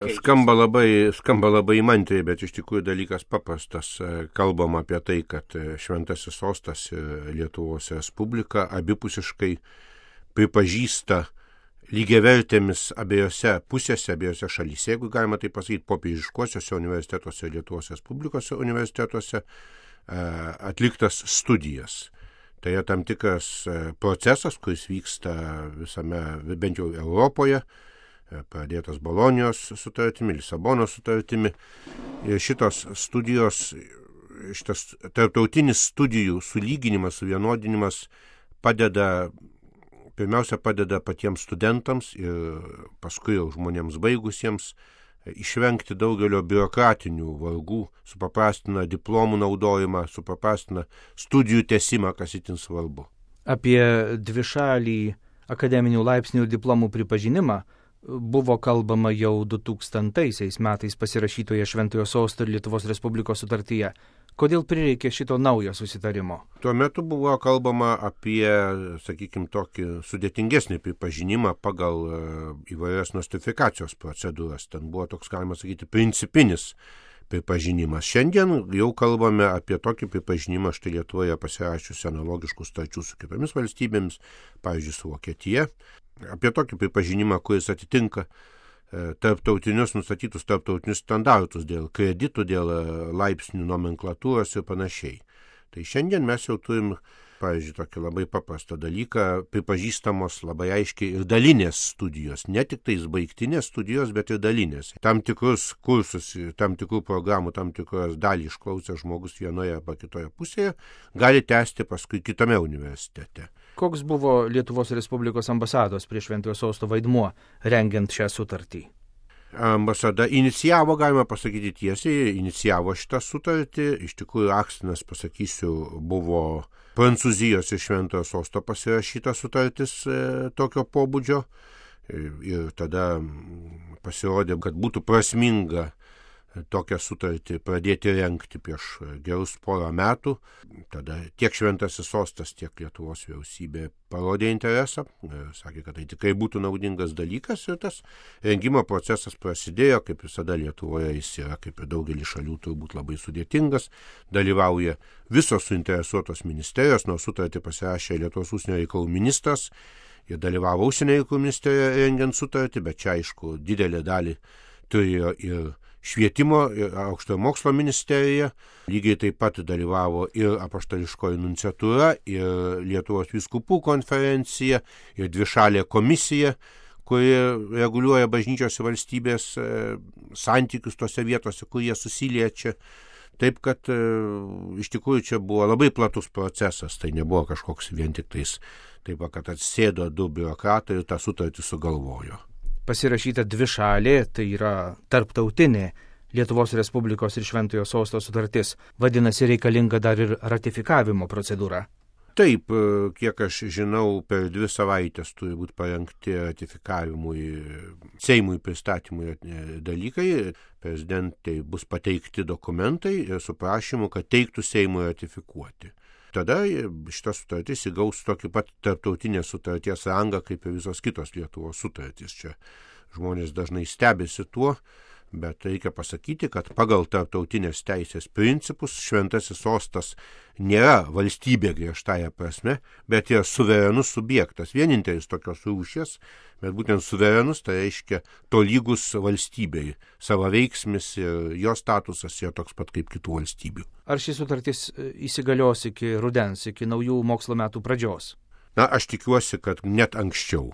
Skamba labai įmantriai, bet iš tikrųjų dalykas paprastas. Kalbam apie tai, kad Šventasis Sostas ir Lietuvos Respublika abipusiškai pripažįsta lygiavertėmis abiejose pusėse, abiejose šalyse, jeigu galima tai pasakyti, popiežiškuosiuose universitetuose ir Lietuvos Respublikos universitetuose atliktas studijas. Tai yra tam tikras procesas, kuris vyksta visame, bent jau Europoje, pradėtas Bolonijos sutartimi, Lisabonos sutartimi. Ir šitos studijos, šitas tarptautinis studijų sulyginimas, suvienodinimas pirmiausia padeda patiems studentams ir paskui jau žmonėms baigusiems išvengti daugelio biurokratinių vargų, supaprastina diplomų naudojimą, supaprastina studijų tęsimą, kas itin svarbu. Apie dvišalį akademinių laipsnių ir diplomų pripažinimą buvo kalbama jau 2000 metais pasirašytoje Šventojo Sosto ir Lietuvos Respublikos sutartyje. Kodėl prireikė šito naujo susitarimo? Tuo metu buvo kalbama apie, sakykime, tokį sudėtingesnį pripažinimą pagal įvairias nostrifikacijos procedūras. Ten buvo toks, galima sakyti, principinis pripažinimas. Šiandien jau kalbame apie tokį pripažinimą, štai Lietuvoje pasirašiusi analogiškų sutarčių su kitomis valstybėmis, pavyzdžiui, su Vokietija. Apie tokį pripažinimą, kuris atitinka nustatytus tarptautinius standartus dėl kreditų, dėl laipsnių nomenklatūros ir panašiai. Tai šiandien mes jau turim, pavyzdžiui, tokį labai paprastą dalyką, pripažįstamos labai aiškiai ir dalinės studijos, ne tik tais baigtinės studijos, bet ir dalinės. Tam tikrus kursus, tam tikrų programų, tam tikros dalį išklausę žmogus vienoje arba kitoje pusėje, gali tęsti paskui kitame universitete. Koks buvo Lietuvos Respublikos ambasados prie Šventojo Sosto vaidmuo rengiant šią sutartį? Ambasada inicijavo, galima pasakyti tiesiai, inicijavo šitą sutartį. Iš tikrųjų, akstinas, pasakysiu, buvo Prancūzijos ir Šventojo Sosto pasirašyta sutartis tokio pobūdžio. Ir tada pasirodė, kad būtų prasminga tokią sutartį pradėti rengti prieš gerus porą metų. Tada tiek Šventasis Sostas, tiek Lietuvos vyriausybė parodė interesą, sakė, kad tai tikrai būtų naudingas dalykas ir tas rengimo procesas prasidėjo, kaip visada Lietuvoje jis yra, kaip ir daugelį šalių, turbūt labai sudėtingas. Dalyvauja visos suinteresuotos ministerijos, nors sutartį pasirašė Lietuvos užsienio reikalų ministras ir dalyvavo užsienio reikalų ministerijoje rengiant sutartį, bet čia aišku didelę dalį turėjo ir Švietimo ir aukštojo mokslo ministerija, lygiai taip pat dalyvavo ir apaštališkoji nunciatūra, ir Lietuvos vyskupų konferencija, ir dvišalė komisija, kuri reguliuoja bažnyčios ir valstybės santykius tose vietose, kur jie susiliečia. Taip, kad iš tikrųjų čia buvo labai platus procesas, tai nebuvo kažkoks vien tik tais, taip, kad atsėdo du biurokratai ir tą sutartį sugalvojo. Pasirašyta dvišalė, tai yra tarptautinė Lietuvos Respublikos ir Šventojo Sosto sutartis. Vadinasi, reikalinga dar ir ratifikavimo procedūra. Taip, kiek aš žinau, per 2 savaitės turi būti parengti ratifikavimui, Seimui pristatymui dalykai. Prezidentai bus pateikti dokumentai ir su prašymu, kad teiktų Seimui ratifikuoti. Tada šitas sutartis įgaus tokį pat tarptautinės sutarties rangą, kaip ir visos kitos Lietuvos sutartys. Čia žmonės dažnai stebisi tuo, bet reikia pasakyti, kad pagal tarptautinės teisės principus Šventasis Sostas nėra valstybė griežtąja prasme, bet yra suverenus subjektas. Vienintelis tokios rūšies, bet būtent suverenus, tai reiškia tolygus valstybei. Savaveiksmis ir jo statusas yra toks pat kaip kitų valstybių. Ar šis sutartis įsigalios iki rudens, iki naujų mokslo metų pradžios? Na, aš tikiuosi, kad net anksčiau.